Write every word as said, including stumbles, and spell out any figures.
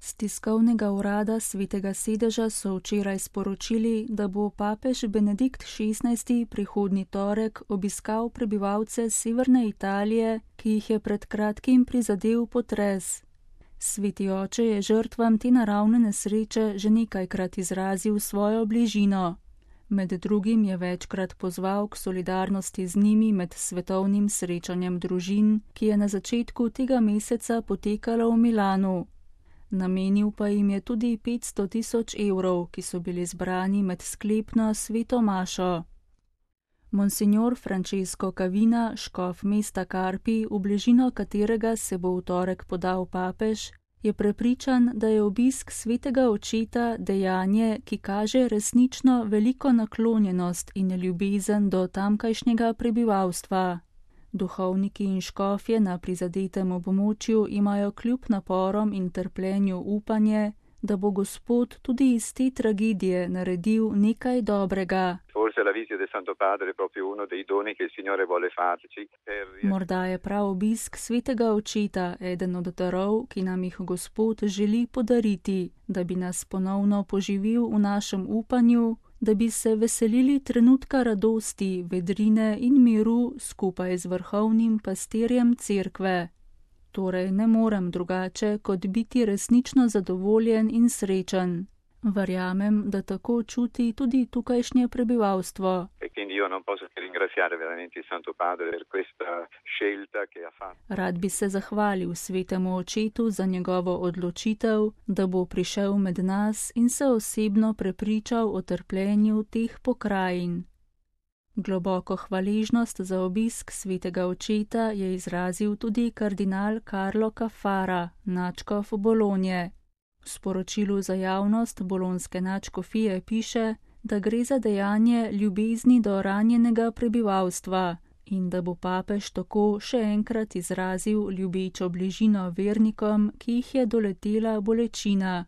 Z tiskovnega urada Svetega sedeža so včeraj sporočili, da bo papež Benedikt šestnajsti prihodnji torek obiskal prebivalce severne Italije, ki jih je pred kratkim prizadel potres. Sveti oče je žrtvam te naravne nesreče že nekajkrat izrazil svojo bližino. Med drugim je večkrat pozval k solidarnosti z njimi med svetovnim srečanjem družin, ki je na začetku tega meseca potekalo v Milanu. Namenil pa jim je tudi petsto tisoč evrov, ki so bili zbrani med sklepno sveto mašo. Monsignor Francesco Cavina, škof mesta Carpi, v bližino katerega se bo v torek podal papež, je prepričan, da je obisk svetega očeta dejanje, ki kaže resnično veliko naklonjenost in ljubezen do tamkajšnjega prebivalstva. Duhovniki in škofje na prizadetem območju imajo kljub naporom in trpljenju upanje, da bo Gospod tudi iz te tragedije naredil nekaj dobrega. Morda je prav obisk svetega očeta eden od darov, ki nam jih Gospod želi podariti, da bi nas ponovno poživil v našem upanju, da bi se veselili trenutka radosti, vedrine in miru skupaj z vrhovnim pastirjem cerkve. Torej ne morem drugače, kot biti resnično zadovoljen in srečen. Verjamem, da tako čuti tudi tukajšnje prebivalstvo. Rad bi se zahvalil svetemu očetu za njegovo odločitev, da bo prišel med nas in se osebno prepričal o trpljenju teh pokrajin. Globoko hvaležnost za obisk svetega očeta je izrazil tudi kardinal Carlo Caffarra, nadškof Bolonje. V sporočilu za javnost bolonske nadškofije piše, da gre za dejanje ljubezni do ranjenega prebivalstva in da bo papež tako še enkrat izrazil ljubečo bližino vernikom, ki jih je doletela bolečina.